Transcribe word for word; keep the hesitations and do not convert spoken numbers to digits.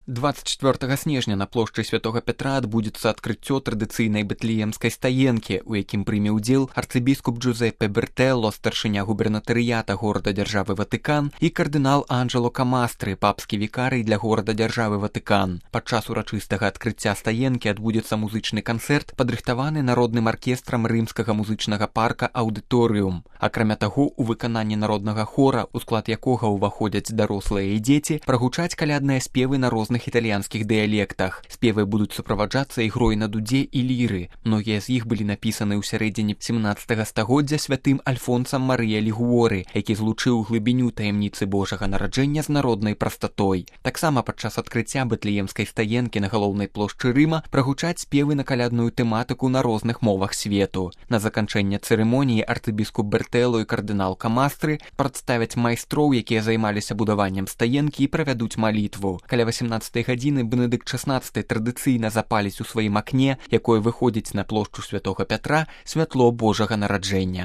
двадцать четвёртага снежня на плошчы святога Пятра адбудзецца адкрыццё традыцыйнай бэтлеемскай стаенкі, у якім прыме ўдзел арцыбіскуп Джузеппе Бертэлло, старшыня губернатарыята горада-дзяржавы Ватыкан, і кардынал Анджело Камастры, папскі вікарый для горада-дзяржавы Ватыкан. Падчас урачыстага адкрыцця стаенкі адбудзецца музычны канцэрт, падрыхтаваны народным аркестрам рымскага музычнага парка «Аўдыторыум». Акрамя таго, у выкананні народнага хора, у склад якога ўваходзяць дарослыя і дзеці, прагучаць калядныя спевы на розных італьянскіх дыялектах. Спевы будуць суправаджацца ігрой на дудзе і ліры. Многія з іх былі напісаны ў сярэдзіне семнаццатага стагоддзя святым Альфонсам Марыя Лігуоры, які злучыў глыбіню таямніцы Божага нараджэння з народнай прастатой. Таксама падчас адкрыцця бэтлеемскай стаенкі на галоўнай плошчы Рыма прагучаць спевы на калядную тэматыку на розных мовах свету. На заканчэнне цырымоніі арцыбіскуп Бертэлло і кардынал Камастры прадставяць майстроў, якія займаліся будаваннем стаенкі, і правядуць малітву. Каля васямнаццатай гадзіны Бенедыкт шаснаццаты традыцыйна запаліць у сваім акне, якое выходзіць на плошчу святога Пятра, святло Божага нараджэння.